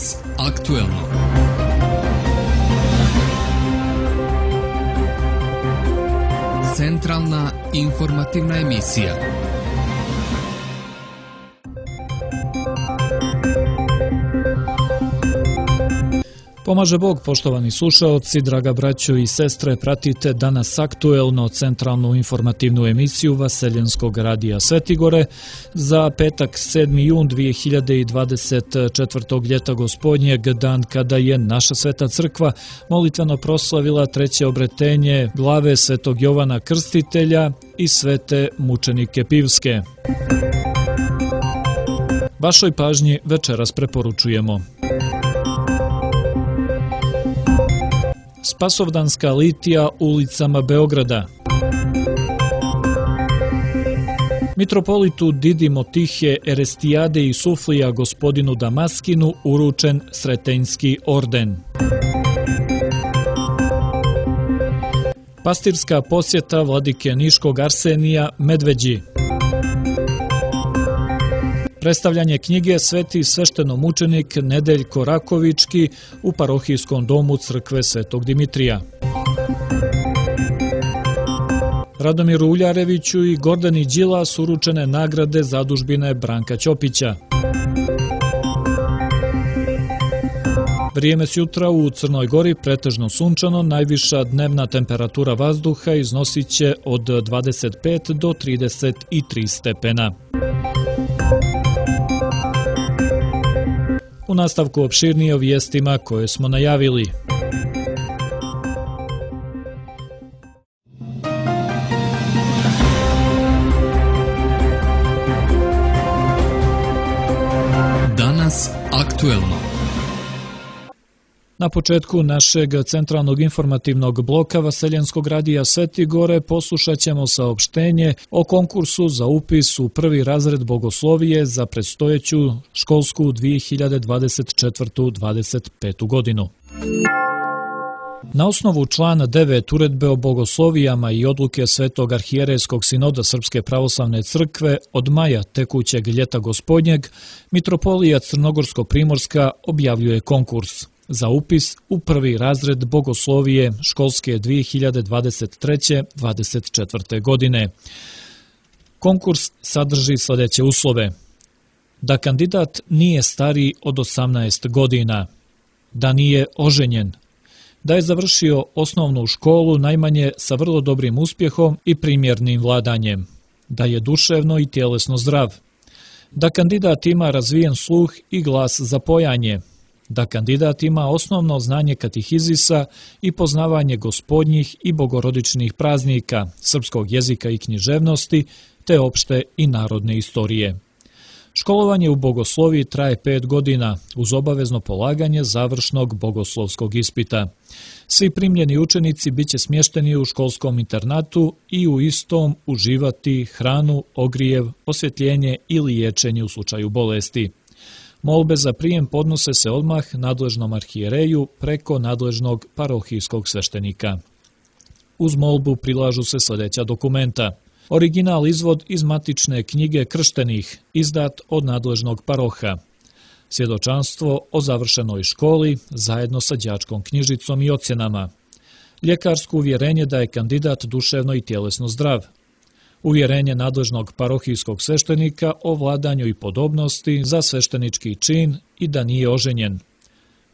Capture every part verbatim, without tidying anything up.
Danas aktuelno. Centralna informativna emisija. Pomaže Bog, poštovani slušaoci, draga braćo i sestre, pratite Danas aktuelno, centralnu informativnu emisiju Vaseljenskog radija Svetigore za petak sedmi jun dvije hiljade dvadeset četvrtog ljeta gospodnjeg, dan kada je naša Sveta Crkva molitveno proslavila treće obretenje glave Svetog Jovana Krstitelja i svete mučenike Pivske. Vašoj pažnji večeras preporučujemo: Spasovdanska litija ulicama Beograda, mitropolitu Didimo Tihe Erestijade i Suflija gospodinu Damaskinu uručen Sretenjski orden, pastirska posjeta vladike Niškog Arsenija Medveđi, predstavljanje knjige Sveti sveštenomučenik Nedeljko Rakovički u parohijskom domu crkve Svetog Dimitrija, Radomiru Uljareviću i Gordani Đilas uručene nagrade zadužbine Branka Ćopića. Vrijeme s jutra u Crnoj Gori pretežno sunčano, najviša dnevna temperatura vazduha iznosit će od dvadeset pet do trideset tri stepena. U nastavku opširnije o vijestima koje smo najavili. Danas aktuelno. Na početku našeg centralnog informativnog bloka Vaseljenskog radija Svetigore poslušat ćemo saopštenje o konkursu za upis u prvi razred bogoslovije za predstojeću školsku dvije hiljade dvadeset četvrtu dvadeset petu godinu. Na osnovu člana devet Uredbe o bogoslovijama i odluke Svetog arhijerejskog sinoda Srpske pravoslavne crkve od maja tekućeg ljeta gospodnjeg, mitropolija Crnogorsko-primorska objavljuje konkurs za upis u prvi razred bogoslovije školske dvije hiljade dvadeset treće dvadeset četvrte godine. Konkurs sadrži sljedeće uslove: da kandidat nije stariji od osamnaest godina, da nije oženjen, da je završio osnovnu školu najmanje sa vrlo dobrim uspjehom i primjernim vladanjem, da je duševno i tjelesno zdrav, da kandidat ima razvijen sluh i glas za pojanje, da kandidat ima osnovno znanje katehizisa i poznavanje gospodnjih i bogorodičnih praznika, srpskog jezika i književnosti, te opšte i narodne istorije. Školovanje u bogosloviji traje pet godina uz obavezno polaganje završnog bogoslovskog ispita. Svi primljeni učenici biće smješteni u školskom internatu i u istom uživati hranu, ogrijev, osvjetljenje i liječenje u slučaju bolesti. Molbe za prijem podnose se odmah nadležnom arhijereju preko nadležnog parohijskog sveštenika. Uz molbu prilažu se sljedeća dokumenta: original izvod iz matične knjige krštenih, izdat od nadležnog paroha, svjedočanstvo o završenoj školi zajedno sa đačkom knjižicom i ocjenama, ljekarsko uvjerenje da je kandidat duševno i tjelesno zdrav, uvjerenje nadležnog parohijskog sveštenika o vladanju i podobnosti za sveštenički čin i da nije oženjen,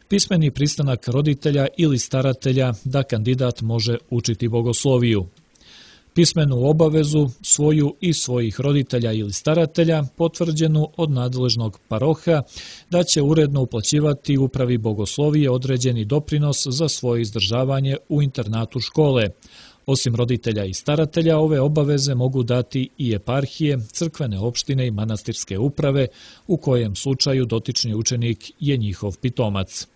pismeni pristanak roditelja ili staratelja da kandidat može učiti bogosloviju, pismenu obavezu svoju i svojih roditelja ili staratelja potvrđenu od nadležnog paroha da će uredno uplaćivati upravi bogoslovije određeni doprinos za svoje izdržavanje u internatu škole. Osim roditelja i staratelja, ove obaveze mogu dati i eparhije, crkvene opštine i manastirske uprave, u kojem slučaju dotični učenik je njihov pitomac.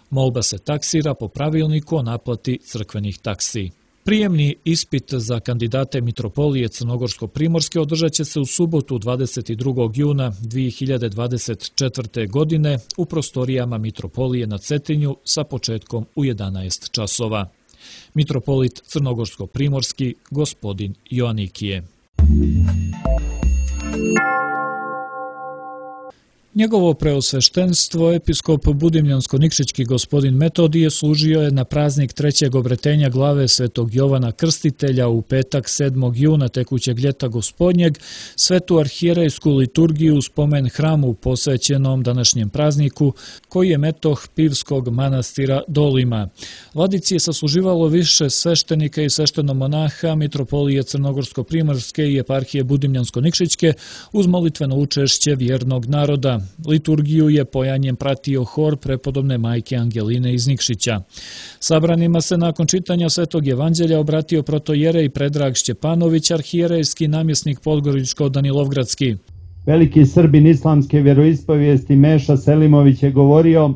Molba se taksira po pravilniku o naplati crkvenih taksi. Prijemni ispit za kandidate mitropolije Crnogorsko-primorske održat će se u subotu dvadeset drugog juna dvije hiljade dvadeset četvrte. godine u prostorijama mitropolije na Cetinju sa početkom u jedanaest časova. Mitropolit Crnogorsko-primorski gospodin Joanikije. Njegovo preosveštenstvo, episkop Budimljansko-Nikšićki gospodin Metodije, služio je na praznik trećeg obretenja glave svetog Jovana Krstitelja u petak sedmog juna tekućeg ljeta gospodnjeg, svetu arhijerejsku liturgiju u spomen hramu posvećenom današnjem prazniku, koji je metoh Pivskog manastira Dolima. Vladici je sasluživalo više sveštenika i sveštenomonaha Mitropolije Crnogorsko-Primorske i eparhije Budimljansko-Nikšićke uz molitveno učešće vjernog naroda. Liturgiju je pojanjem pratio hor prepodobne majke Angeline iz Nikšića. Sabranima se nakon čitanja Svetog evanđelja obratio protojerej Predrag Šćepanović, arhijerejski namjesnik Podgoričko-Danilovgradski. Veliki Srbin islamske vjeroispovijesti Meša Selimović je govorio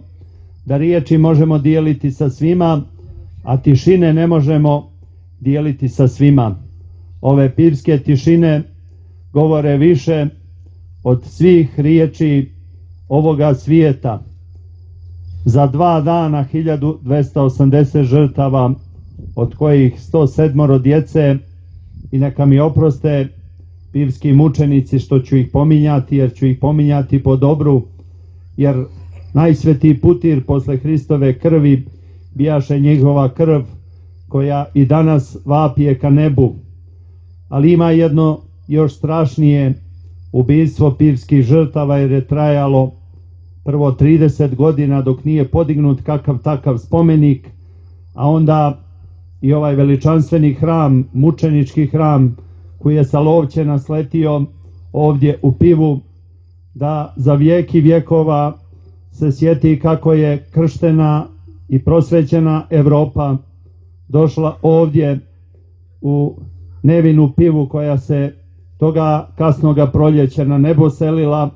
da riječi možemo dijeliti sa svima, a tišine ne možemo dijeliti sa svima. Ove pivske tišine govore više od svih riječi ovoga svijeta. Za dva dana hiljadu dvesta osamdeset žrtava, od kojih sto sedam djece, i neka mi oproste pivski mučenici što ću ih pominjati, jer ću ih pominjati po dobru, jer najsvetiji putir posle Hristove krvi bijaše njegova krv koja i danas vapije ka nebu. Ali ima jedno još strašnije ubistvo pivskih žrtava, jer je trajalo prvo trideset godina dok nije podignut kakav takav spomenik, a onda i ovaj veličanstveni hram, mučenički hram koji je sa Lovćena sletio ovdje u Pivu, da za vijek i vjekova se sjeti kako je krštena i prosvećena Evropa došla ovdje u nevinu Pivu koja se toga kasnoga proljeća na nebo selila,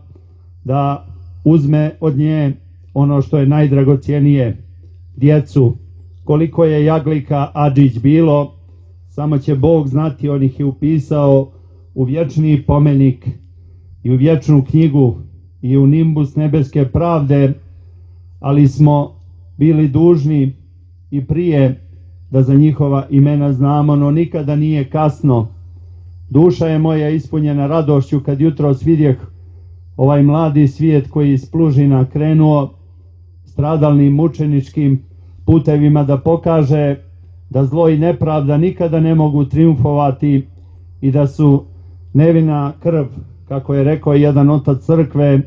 da uzme od nje ono što je najdragocjenije, djecu. Koliko je jaglika Adžić bilo, samo će Bog znati, on ih je upisao u vječni pomenik i u vječnu knjigu i u nimbus nebeske pravde, ali smo bili dužni i prije da za njihova imena znamo, no nikada nije kasno. Duša je moja ispunjena radošću kad jutros vidjeh ovaj mladi svijet koji iz Plužina krenuo stradalnim mučeničkim putevima da pokaže da zlo i nepravda nikada ne mogu triumfovati i da su nevina krv, kako je rekao jedan otac crkve,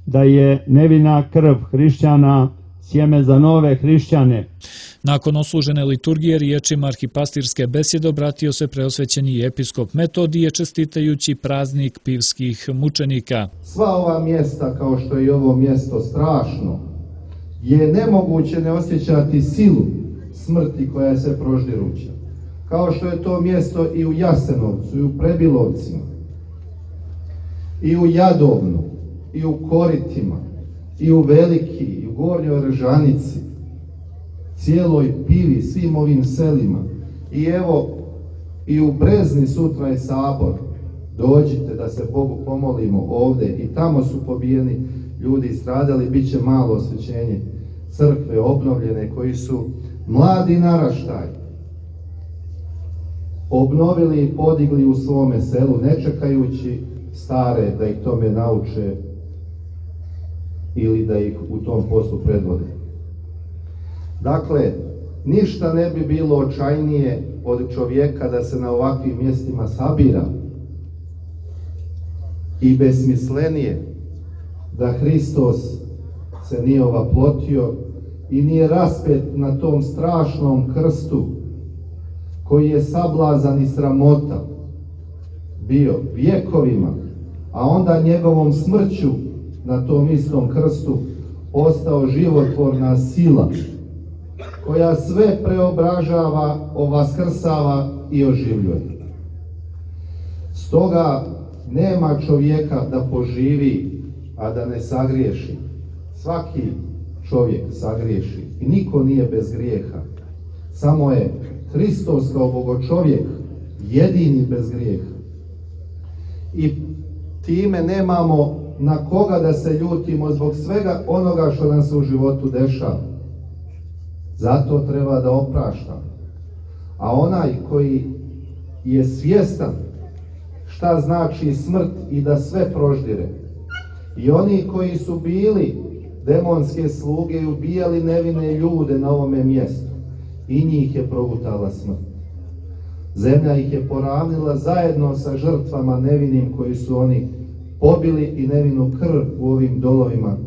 da je nevina krv hrišćana sjeme za nove hrišćane. Nakon oslužene liturgije riječima arhipastirske besjede obratio se preosvećeni episkop Metodije čestitajući praznik pivskih mučenika. Sva ova mjesta, kao što je i ovo mjesto strašno, je nemoguće ne osjećati silu smrti koja se proždiruća. Kao što je to mjesto i u Jasenovcu, i u Prebilovcima, i u Jadovnu, i u Koritima, i u Veliki, i u Gornjoj Ržanici, cijeloj Pivi, svim ovim selima. I evo, i u Brezni sutra je sabor. Dođite da se Bogu pomolimo ovdje. I tamo su pobijeni ljudi stradali, bit će malo osvećenje crkve obnovljene, koji su mladi naraštaj obnovili i podigli u svome selu, ne čekajući stare da ih tome nauče ili da ih u tom poslu predvode. Dakle, ništa ne bi bilo očajnije od čovjeka da se na ovakvim mjestima sabira i besmislenije da Hristos se nije ovaplotio i nije raspet na tom strašnom krstu koji je sablazan i sramota bio vjekovima, a onda njegovom smrću na tom istom krstu postao životvorna sila koja sve preobražava, ovaskrsava i oživljuje. Stoga nema čovjeka da poživi, a da ne sagriješi. Svaki čovjek sagriješi i niko nije bez grijeha. Samo je Hristos kao bogočovjek jedini bez grijeha. I time nemamo na koga da se ljutimo zbog svega onoga što nam se u životu dešava. Zato treba da opraštamo. A onaj koji je svjestan šta znači smrt i da sve proždire I oni koji su bili demonske sluge i ubijali nevine ljude na ovome mjestu, i njih je progutala smrt. Zemlja ih je poravnila zajedno sa žrtvama nevinim koji su oni pobili i nevinu krv u ovim dolovima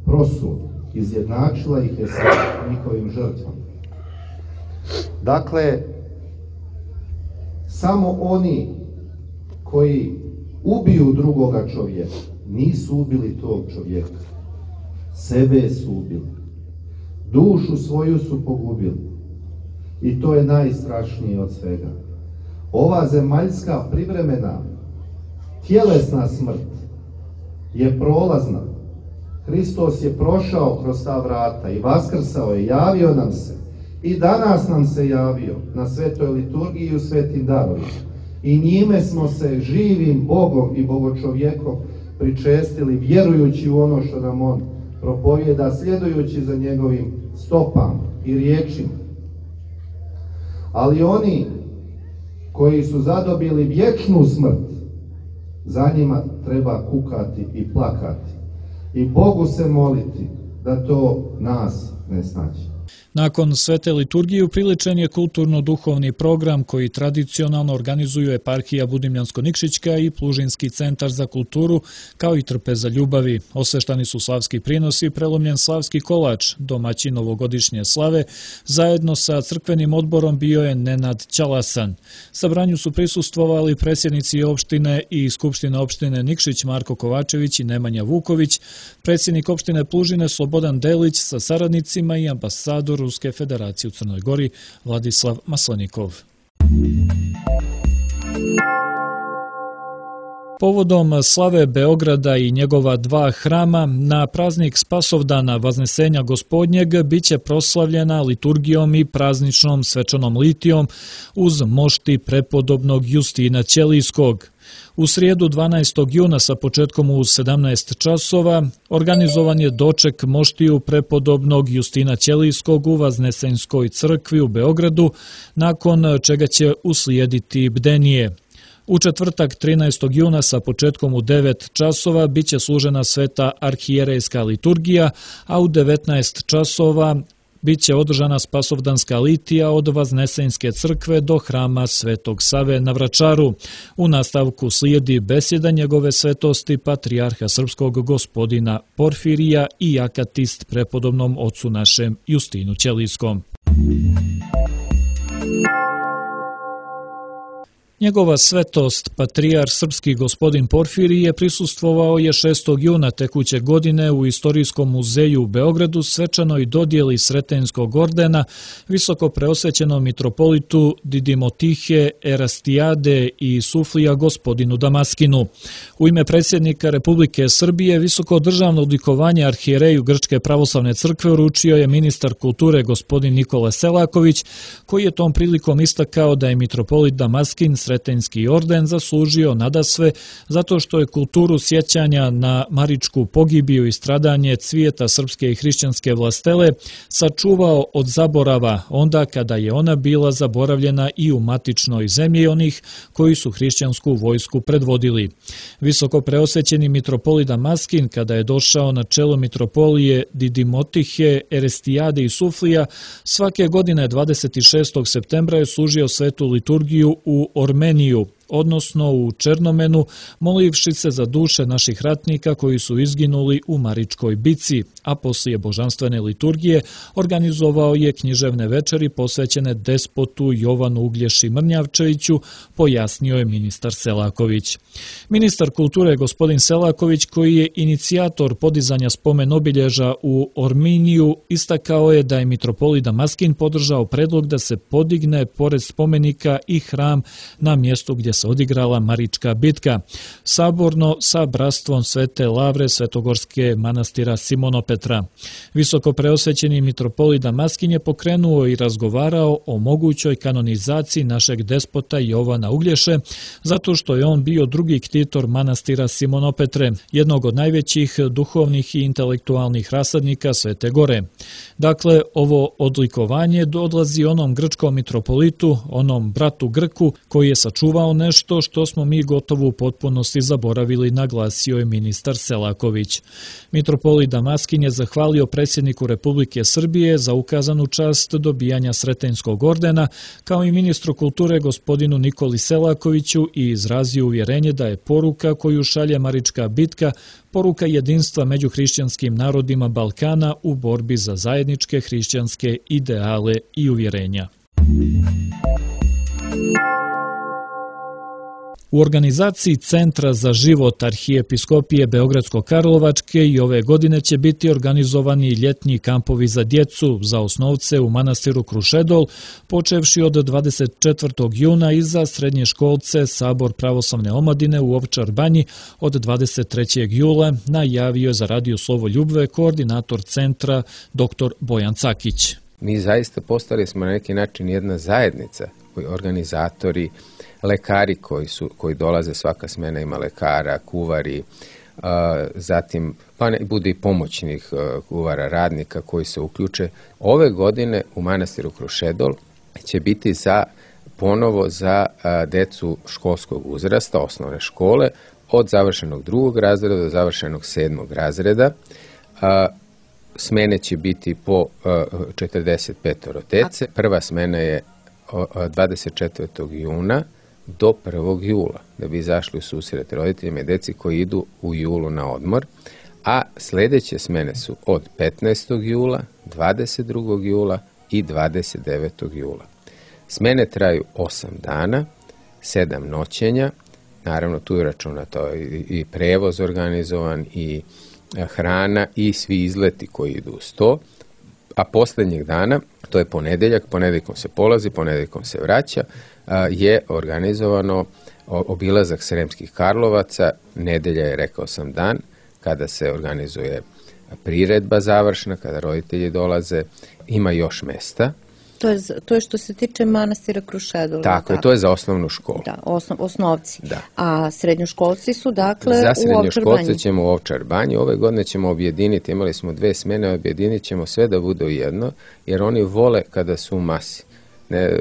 prosu. Izjednačila ih je sa njihovim žrtvama. Dakle, samo oni koji ubiju drugoga čovjeka nisu ubili tog čovjeka. Sebe su ubili. Dušu svoju su pogubili. I to je najstrašnije od svega. Ova zemaljska privremena tjelesna smrt je prolazna. Hristos je prošao kroz ta vrata i vaskrsao je, javio nam se. I danas nam se javio na svetoj liturgiji i u svetim darovima. I njime smo se živim Bogom i Bogočovjekom pričestili, vjerujući u ono što nam On propovijeda, sljedujući za njegovim stopama i riječima. Ali oni koji su zadobili vječnu smrt, za njima treba kukati i plakati i Bogu se moliti da to nas ne snađe. Nakon svete liturgije upriličen je kulturno-duhovni program koji tradicionalno organizuju eparhija Budimljansko-Nikšićka i Plužinski centar za kulturu, kao i trpeza ljubavi. Osveštani su slavski prinosi i prelomljen slavski kolač, domaćin novogodišnje slave. Zajedno sa crkvenim odborom bio je Nenad Ćalasan. Sabranju su prisustvovali predsjednici opštine i skupštine opštine Nikšić Marko Kovačević i Nemanja Vuković, predsjednik opštine Plužine Slobodan Delić sa saradnicima i ambasador Ruske federacije u Crnoj Gori Vladislav Maslenikov. Povodom slave Beograda i njegova dva hrama, na praznik Spasovdana Vaznesenja Gospodnjeg biće proslavljena liturgijom i prazničnom svečanom litijom uz mošti prepodobnog Justina Ćelijskog. U srijedu dvanaestog juna sa početkom u sedamnaest časova organizovan je doček moštiju prepodobnog Justina Ćelijskog u Vaznesenjskoj crkvi u Beogradu, nakon čega će uslijediti bdenije. U četvrtak trinaestog juna sa početkom u devet časova biće služena sveta arhijerejska liturgija, a u devetnaest časova biće održana spasovdanska litija od Vaznesenjske crkve do hrama Svetog Save na Vračaru. U nastavku slijedi besjeda njegove svetosti patrijarha srpskog gospodina Porfirija i akatist prepodobnom ocu našem Justinu Ćelijskom. Njegova svetost, patrijar srpski gospodin Porfirij, je prisustvovao je šestog juna tekuće godine u Istorijskom muzeju u Beogradu svečanoj dodjeli Sretenskog ordena visoko preosvećenom mitropolitu Didimotihe, Erastijade i Suflija gospodinu Damaskinu. U ime predsjednika Republike Srbije visoko državno odlikovanje arhijereju Grčke pravoslavne crkve uručio je ministar kulture gospodin Nikola Selaković, koji je tom prilikom istakao da je mitropolit Damaskin Sretenski orden zaslužio nadasve zato što je kulturu sjećanja na maričku pogibiju i stradanje cvijeta srpske i hrišćanske vlastele sačuvao od zaborava onda kada je ona bila zaboravljena i u matičnoj zemlji onih koji su hrišćansku vojsku predvodili. Visoko preosvećeni mitropolit Damaskin, kada je došao na čelo mitropolije Didimotihe, Erestijade i Suflija, svake godine dvadeset šestog septembra je služio svetu liturgiju u Ormeniju, odnosno u Černomenu, molivši se za duše naših ratnika koji su izginuli u Maričkoj bici, a poslije božanstvene liturgije organizovao je književne večeri posvećene despotu Jovanu Uglješi Mrnjavčeviću, pojasnio je ministar Selaković. Ministar kulture gospodin Selaković, koji je inicijator podizanja spomen obilježa u Orminiju, istakao je da je mitropolit Damaskin podržao predlog da se podigne pored spomenika i hram na mjestu gdje se odigrala Marička bitka, saborno sa bratstvom Svete Lavre Svetogorske manastira Simonopetra. Visoko preosvećeni mitropolit Damaskin je pokrenuo i razgovarao o mogućoj kanonizaciji našeg despota Jovana Uglješe, zato što je on bio drugi ktitor manastira Simonopetre, jednog od najvećih duhovnih i intelektualnih rasadnika Svete Gore. Dakle, ovo odlikovanje odlazi onom grčkom mitropolitu, onom bratu Grku, koji je sačuvao nešto nešto što smo mi gotovo u potpunosti zaboravili, naglasio je ministar Selaković. Mitropolit Damaskin je zahvalio predsjedniku Republike Srbije za ukazanu čast dobijanja Sretenjskog ordena, kao i ministru kulture gospodinu Nikoli Selakoviću, i izrazio uvjerenje da je poruka koju šalje Marička bitka poruka jedinstva među hrišćanskim narodima Balkana u borbi za zajedničke hrišćanske ideale i uvjerenja. U organizaciji Centra za život Arhijepiskopije Beogradsko-Karlovačke i ove godine će biti organizovani ljetnji kampovi za djecu, za osnovce u manastiru Krušedol, počevši od dvadeset četvrtog juna i za srednje školce Sabor pravoslavne omladine u Ovčar Banji od dvadeset trećeg jula, najavio za Radio Slovo Ljubve koordinator centra dr. Bojan Cakić. Mi zaista postali smo na neki način jedna zajednica, organizatori, lekari koji su koji dolaze, svaka smena ima lekara, kuvari, uh, zatim pa ne, bude i pomoćnih uh, kuvara, radnika koji se uključe. Ove godine u manastiru Krušedol će biti za ponovo za uh, decu školskog uzrasta, osnovne škole, od završenog drugog razreda do završenog sedmog razreda. Uh, smene će biti po uh, četrdeset pet dece. Prva smena je dvadeset četvrtog juna do prvog jula, da bi izašli u susret roditeljima i deci koji idu u julu na odmor, a sljedeće smene su od petnaestog jula, dvadeset drugog jula i dvadeset devetog jula. Smene traju osam dana, sedam noćenja, naravno tu je računato i prevoz organizovan, i hrana i svi izleti koji idu uz to, a posljednjeg dana, to je ponedeljak, ponedeljkom se polazi, ponedeljkom se vraća, je organizovano obilazak Sremskih Karlovaca. Nedelja je, rekao sam, dan kada se organizuje priredba završna, kada roditelji dolaze, ima još mesta. To je, to je što se tiče manastira Krušedol. Tako je, to je za osnovnu školu. Da, osnov, osnovci. Da. A srednjoškolci su dakle za u Ovčar Banji. Za srednjoškolce ćemo u Ovčar Banji. Ove godine ćemo objediniti, imali smo dve smene, objedinit ćemo sve da bude jedno, jer oni vole kada su u masi. Ne,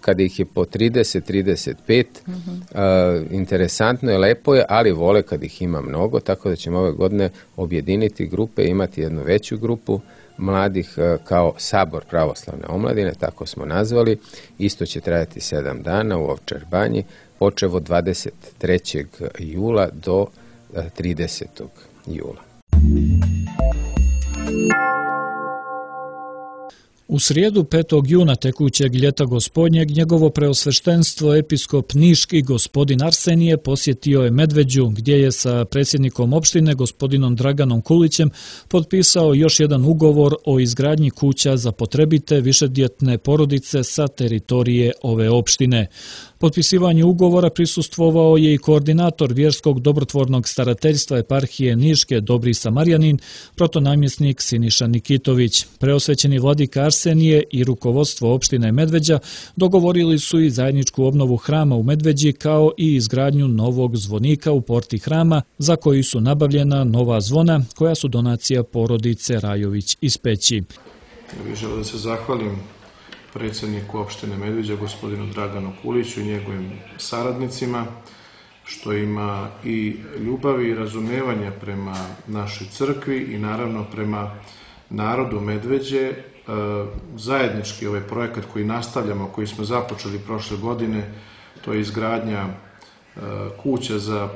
kada ih je po trideset, trideset pet, uh-huh. uh, interesantno je, lepo je, ali vole kad ih ima mnogo, tako da ćemo ove godine objediniti grupe, imati jednu veću grupu mladih kao Sabor pravoslavne omladine, tako smo nazvali. Isto će trajati sedam dana u Ovčar Banji, počev od dvadeset trećeg jula do tridesetog jula. U srijedu petog juna tekućeg ljeta gospodnjeg njegovo preosveštenstvo episkop niški gospodin Arsenije posjetio je Medveđu, gdje je sa predsjednikom opštine gospodinom Draganom Kulićem potpisao još jedan ugovor o izgradnji kuća za potrebite višedjetne porodice sa teritorije ove opštine. Potpisivanju ugovora prisustvovao je i koordinator vjerskog dobrotvornog starateljstva eparhije Niške Dobri Samarjanin, protonamjesnik Siniša Nikitović. Preosvećeni vladika Arsenije i rukovodstvo opštine Medveđa dogovorili su i zajedničku obnovu hrama u Medveđi, kao i izgradnju novog zvonika u porti hrama, za koji su nabavljena nova zvona, koja su donacija porodice Rajović iz Peći. Ja bih želeo da se zahvalim predsjedniku opštine Medveđa, gospodinu Draganu Kuliću i njegovim saradnicima, što ima i ljubavi i razumevanja prema našoj crkvi i naravno prema narodu Medveđe. Zajednički ovaj projekat koji nastavljamo, koji smo započeli prošle godine, to je izgradnja kuća za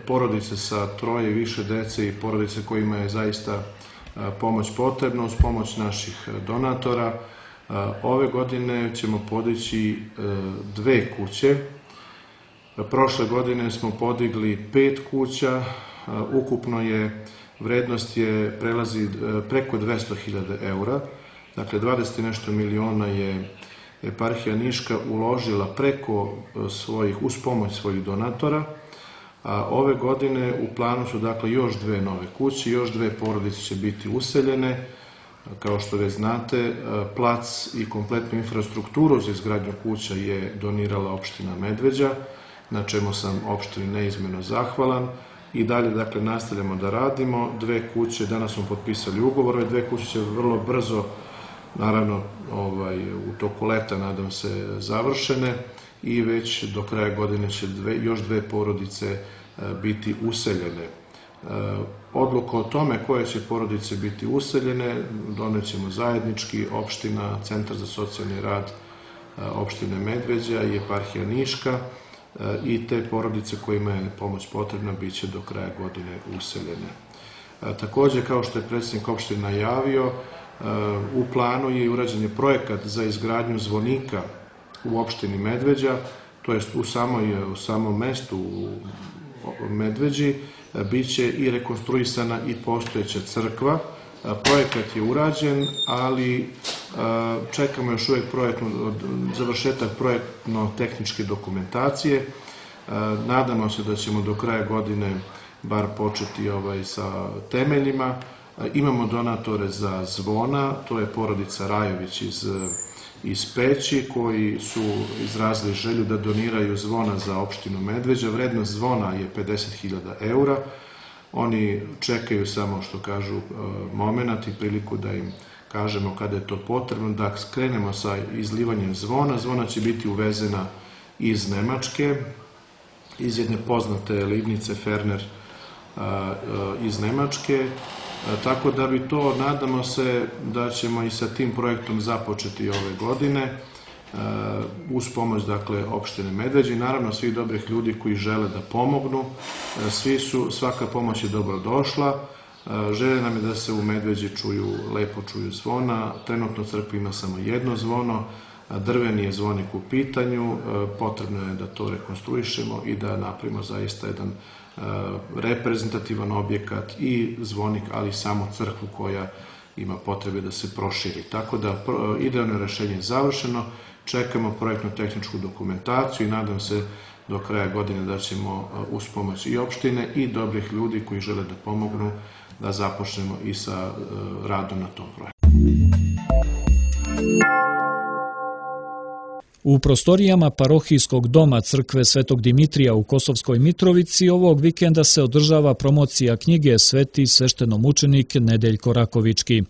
porodice sa troje i više dece i porodice kojima je zaista pomoć potrebna, uz pomoć naših donatora. Ove godine ćemo podići dve kuće. Prošle godine smo podigli pet kuća, ukupno je vrednost je prelazi preko dvesta hiljada eura, dakle dvadeset nešto miliona je eparhija Niška uložila preko svojih, uz pomoć svojih donatora. A ove godine u planu su dakle još dve nove kuće, još dve porodice će biti useljene. Kao što već znate, plac i kompletnu infrastrukturu za izgradnju kuća je donirala opština Medveđa, na čemu sam opštini neizmjerno zahvalan. I dalje, dakle, nastavljamo da radimo. Dve kuće, danas smo potpisali ugovor, ove dve kuće će vrlo brzo, naravno, ovaj, u toku leta, nadam se, završene. i već do kraja godine će dve, još dve porodice biti useljene. Odluku o tome koje će porodice biti useljene donećemo zajednički, opština, Centar za socijalni rad opštine Medveđa i Eparhija Niška, i te porodice kojima je pomoć potrebna bit će do kraja godine useljene. Takođe, kao što je predsjednik opštine najavio, u planu je i urađen je projekat za izgradnju zvonika u opštini Medveđa, to jest u, samoj, u samom mestu u Medveđi, bit će i rekonstruisana i postojeća crkva. Projekat je urađen, ali čekamo još uvijek projektnu, završetak projektno-tehničke dokumentacije. Nadamo se da ćemo do kraja godine bar početi ovaj, sa temeljima. Imamo donatore za zvona, to je porodica Rajović iz, iz Peći, koji su izrazili želju da doniraju zvona za opštinu Medveđa. Vrednost zvona je pedeset hiljada eura. Oni čekaju samo, što kažu, moment i priliku da im kažemo kada je to potrebno, da skrenemo sa izlivanjem zvona. Zvona će biti uvezena iz Nemačke, iz jedne poznate livnice Ferner iz Nemačke, tako da bi to, nadamo se da ćemo i sa tim projektom započeti ove godine, uz pomoć, dakle, opštine Medveđa i naravno svih dobrih ljudi koji žele da pomognu. Svi su, svaka pomoć je dobro došla. Želje nam je da se u Medveđi čuju, lepo čuju zvona. Trenutno u crkvi ima samo jedno zvono, drveni je zvonik u pitanju, potrebno je da to rekonstruišemo i da napravimo zaista jedan reprezentativan objekat i zvonik, ali i samo crkvu koja ima potrebe da se proširi. Tako da idealno rešenje je završeno, čekamo projektno-tehničku dokumentaciju i nadam se do kraja godine da ćemo uz pomoć i opštine i dobrih ljudi koji žele da pomognu da započnemo i sa radom na tom projektu. U prostorijama parohijskog doma crkve Svetog Dimitrija u Kosovskoj Mitrovici ovog vikenda se održava promocija knjige Sveti sveštenomučenik Nedeljko Rakovički.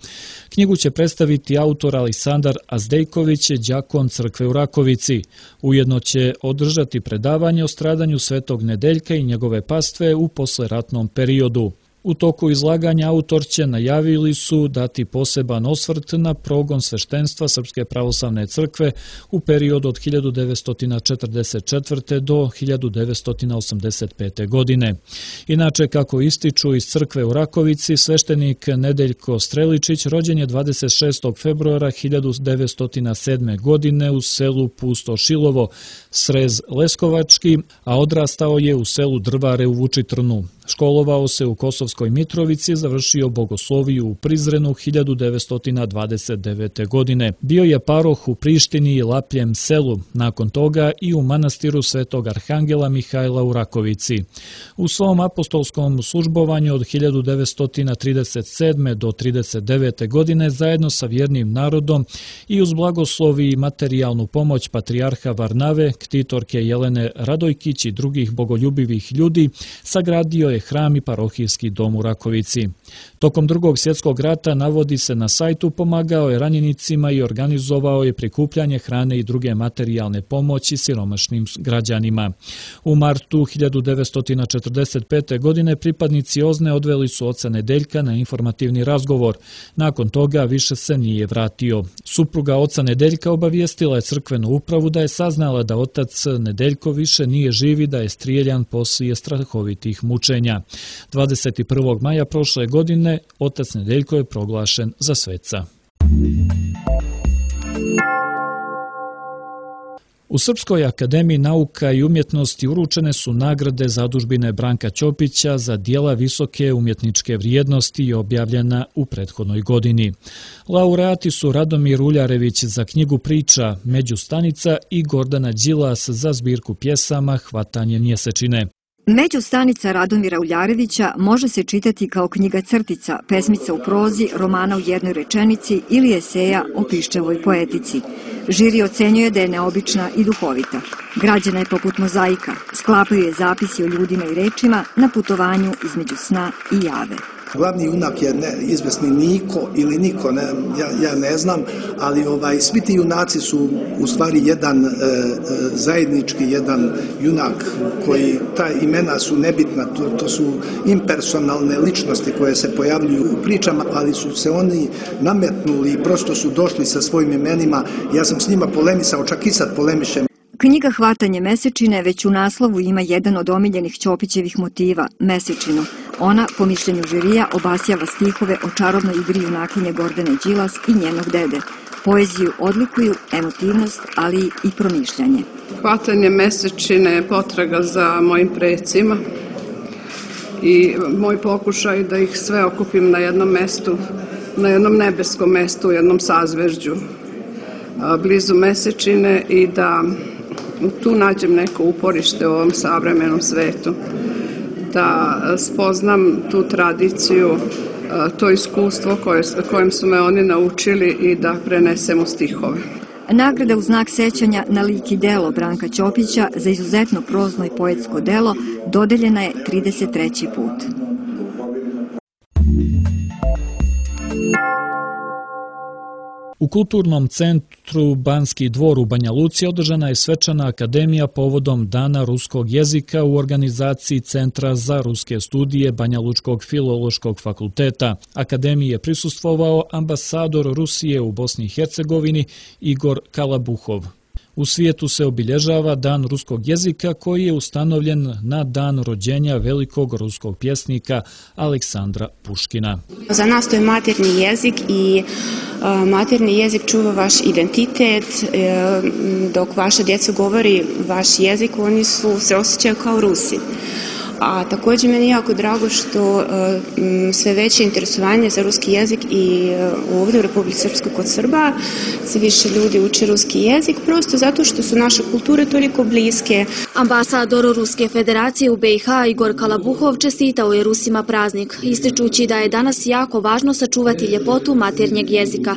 Knjigu će predstaviti autor Aleksandar Azdejković, đakon crkve u Rakovici. Ujedno će održati predavanje o stradanju Svetog Nedeljka i njegove pastve u posleratnom periodu. U toku izlaganja autorće najavili su dati poseban osvrt na progon sveštenstva Srpske pravoslavne crkve u periodu od hiljadu devetsto četrdeset četvrte. do hiljadu devetsto osamdeset pete. godine. Inače, kako ističu iz crkve u Rakovici, sveštenik Nedeljko Streličić rođen je dvadeset šestog februara hiljadu devetsto sedme. godine u selu Pustošilovo, Srez Leskovački, a odrastao je u selu Drvare u Vučitrnu. Školovao se u Kosovskoj Mitrovici, završio bogosloviju u Prizrenu hiljadu devetsto dvadeset devete. godine. Bio je paroh u Prištini i Lapljem selu, nakon toga i u manastiru Svetog Arhangela Mihajla u Rakovici. U svom apostolskom službovanju od hiljadu devetsto trideset sedme. do trideset devete. godine zajedno sa vjernim narodom i uz blagoslovi i materijalnu pomoć patrijarha Varnave, ktitorke Jelene Radojkić i drugih bogoljubivih ljudi, sagradio je hram i parohijski dom u Rakovici. Tokom Drugog svjetskog rata, navodi se na sajtu, pomagao je ranjenicima i organizovao je prikupljanje hrane i druge materijalne pomoći siromašnim građanima. U martu hiljadu devetsto četrdeset pete. godine pripadnici Ozne odveli su oca Nedeljka na informativni razgovor. Nakon toga više se nije vratio. Supruga oca Nedeljka obavijestila je crkvenu upravu da je saznala da otac Nedeljko više nije živ i da je strijeljan poslije strahovitih mučenja. dvadeset prvog maja prošle godine otac Nedeljko je proglašen za sveca. U Srpskoj akademiji nauka i umjetnosti uručene su nagrade zadužbine Branka Ćopića za dijela visoke umjetničke vrijednosti i objavljena u prethodnoj godini. Laureati su Radomir Uljarević za knjigu priča Međustanica i Gordana Đilas za zbirku pjesama Hvatanje mjesečine. Međustanica Radomira Uljarevića može se čitati kao knjiga crtica, pesmica u prozi, romana u jednoj rečenici ili eseja o piščevoj poetici. Žiri ocenjuje da je neobična i duhovita. Građena je poput mozaika, sklapaju je zapisi o ljudima i rečima na putovanju između sna i jave. Glavni junak je ne, izvesni Niko ili Niko, ne, ja, ja ne znam, ali ovaj, svi ti junaci su u stvari jedan e, zajednički, jedan junak koji, ta imena su nebitna, to, to su impersonalne ličnosti koje se pojavljuju u pričama, ali su se oni nametnuli i prosto su došli sa svojim imenima. Ja sam s njima polemisao, čak i sad polemišem. Knjiga Hvatanje mesečine već u naslovu ima jedan od omiljenih Ćopićevih motiva, mesečinu. Ona, po mišljenju žirija, obasjava stihove o čarobnoj igri junakinje Gordane Đilas i njenog dede. Poeziju odlikuju emotivnost, ali i promišljanje. Hvatanje mesečine je potraga za mojim precima i moj pokušaj da ih sve okupim na jednom mestu, na jednom nebeskom mestu, u jednom sazvežđu blizu mesečine i da tu nađem neko uporište u ovom savremenom svetu, da spoznam tu tradiciju, to iskustvo koje, kojem su me oni naučili i da prenesem u stihove. Nagrada u znak sećanja na lik i delo Branka Ćopića za izuzetno prozno i poetsko delo dodeljena je trideset treći put. U Kulturnom centru Banski dvor u Banja Luci održana je svečana akademija povodom Dana ruskog jezika u organizaciji Centra za ruske studije Banja Lučkog filološkog fakulteta. Akademiji je prisustvovao ambasador Rusije u Bosni i Hercegovini Igor Kalabuhov. U svijetu se obilježava Dan ruskog jezika koji je ustanovljen na dan rođenja velikog ruskog pjesnika Aleksandra Puškina. Za nas to je maternji jezik i maternji jezik čuva vaš identitet. Dok vaša djeca govori vaš jezik, oni su, se osjećaju kao Rusi. A također meni je jako drago što sve veće interesovanje za ruski jezik i ovdje u Republici Srpskoj kod Srba sve više ljudi uče ruski jezik prosto zato što su naše kulture toliko bliske. Ambasador Ruske federacije u B i H Igor Kalabuhov čestitao je Rusima praznik, ističući da je danas jako važno sačuvati ljepotu maternjeg jezika.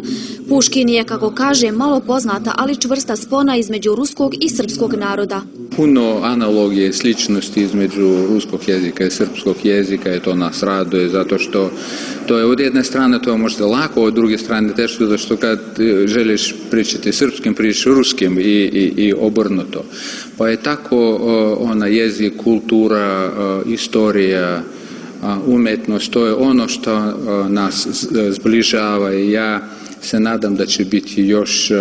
Puškin je, kako kaže, malo poznata, ali čvrsta spona između ruskog i srpskog naroda. Puno analogije, sličnosti između ruskog jezika i srpskog jezika i to nas raduje zato što to je od jedne strane to je možda lako, od druge strane teško zato što kad želiš pričati srpskim, pričaš ruskim i, i, i obrnuto. Pa je tako ona jezik, kultura, istorija, umetnost, to je ono što nas zbližava i ja se nadam da će biti još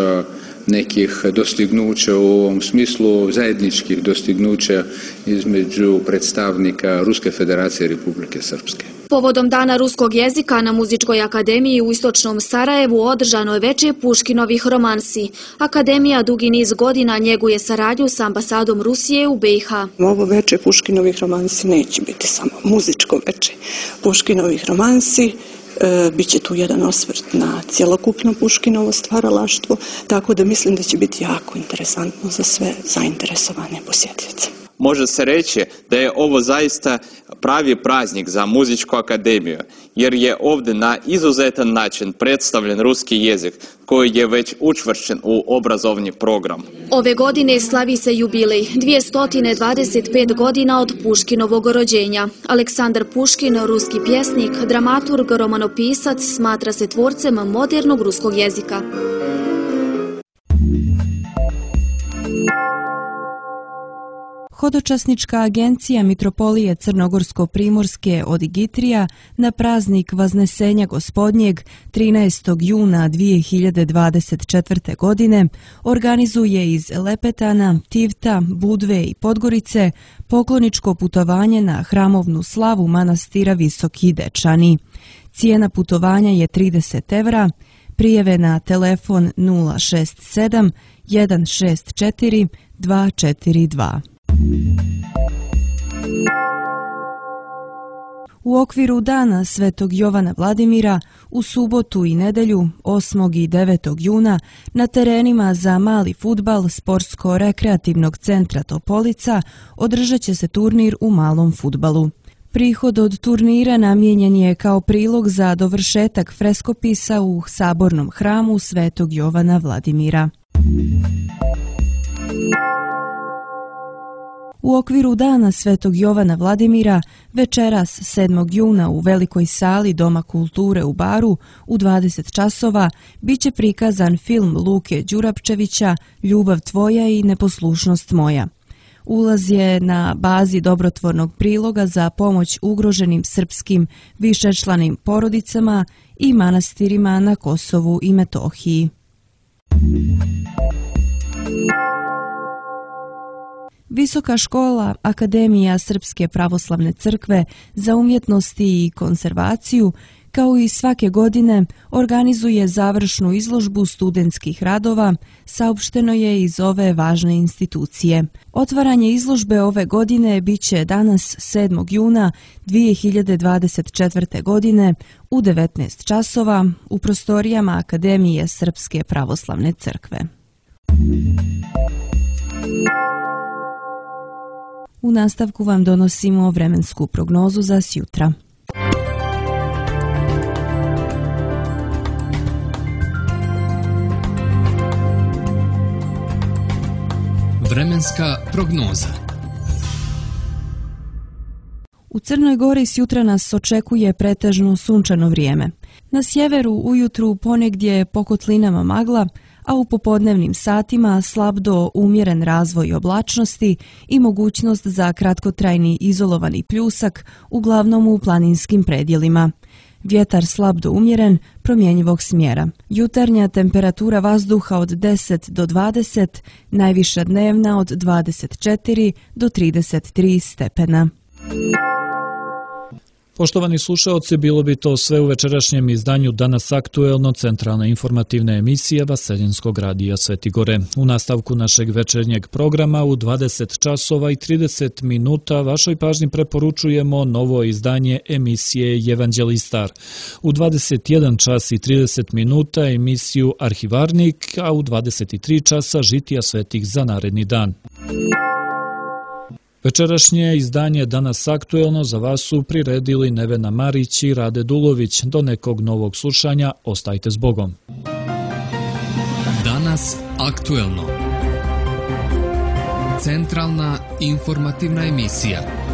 nekih dostignuća u ovom smislu, zajedničkih dostignuća između predstavnika Ruske federacije i Republike Srpske. Povodom Dana ruskog jezika na Muzičkoj akademiji u istočnom Sarajevu održano je veče Puškinovih romansi. Akademija dugi niz godina njeguje saradnju sa ambasadom Rusije u B i H. Ovo veče Puškinovih romansi neće biti samo muzičko veče. Puškinovih romansi E, biće tu jedan osvrt na cjelokupno Puškinovo stvaralaštvo, tako da mislim da će biti jako interesantno za sve zainteresovane posjetioce. Može se reći da je ovo zaista pravi praznik za Muzičku akademiju, jer je ovdje na izuzetan način predstavljen ruski jezik koji je već učvršćen u obrazovni program. Ove godine slavi se jubilej, dvjesto dvadeset pet godina od Puškinovog rođenja. Aleksandar Puškin, ruski pjesnik, dramaturg, romanopisac, smatra se tvorcem modernog ruskog jezika. Hodočasnička agencija Mitropolije Crnogorsko-Primorske od Igitrija na praznik Vaznesenja Gospodnjeg trinaestog juna dvije hiljade dvadeset četvrte. godine organizuje iz Lepetana, Tivta, Budve i Podgorice pokloničko putovanje na hramovnu slavu manastira Visoki Dečani. Cijena putovanja je trideset evra, prijave na telefon nula šest sedam jedan šest četiri dva četiri dva. U okviru Dana Svetog Jovana Vladimira u subotu i nedelju osmog i devetog juna na terenima za mali fudbal Sportsko-rekreativnog centra Topolica održat će se turnir u malom fudbalu. Prihod od turnira namijenjen je kao prilog za dovršetak freskopisa u sabornom hramu Svetog Jovana Vladimira. U okviru Dana Svetog Jovana Vladimira večeras sedmog juna u Velikoj sali Doma kulture u Baru u dvadeset časova biće prikazan film Luke Đurapčevića Ljubav tvoja i neposlušnost moja. Ulaz je na bazi dobrotvornog priloga za pomoć ugroženim srpskim višečlanim porodicama i manastirima na Kosovu i Metohiji. Visoka škola Akademija Srpske pravoslavne crkve za umjetnosti i konzervaciju, kao i svake godine, organizuje završnu izložbu studentskih radova, saopšteno je iz ove važne institucije. Otvaranje izložbe ove godine biće danas sedmog juna dvije hiljade dvadeset četvrte. godine u devetnaest časova u prostorijama Akademije Srpske pravoslavne crkve. U nastavku vam donosimo vremensku prognozu za sjutra. Vremenska prognoza. U Crnoj Gori sjutra nas očekuje pretežno sunčano vrijeme. Na sjeveru ujutru ponegdje po kotlinama magla, a u popodnevnim satima slab do umjeren razvoj oblačnosti i mogućnost za kratkotrajni izolovani pljusak, uglavnom u planinskim predjelima. Vjetar slab do umjeren, promjenjivog smjera. Jutarnja temperatura vazduha od deset do dvadeset, najviša dnevna od dvadeset četiri do trideset tri stepena. Poštovani slušaoci, bilo bi to sve u večerašnjem izdanju Danas aktuelno, centralna informativna emisija Vaseljenskog radija Svetigore. U nastavku našeg večernjeg programa u dvadeset časova i trideset minuta vašoj pažnji preporučujemo novo izdanje emisije Evanđelistar. U dvadeset jedan čas i trideset minuta emisiju Arhivarnik, a u dvadeset tri časa Žitija svetih za naredni dan. Večerašnje izdanje Danas aktuelno za vas su priredili Nevena Marić i Rade Dulović. Do nekog novog slušanja, ostajte s Bogom. Danas aktuelno. Centralna informativna emisija.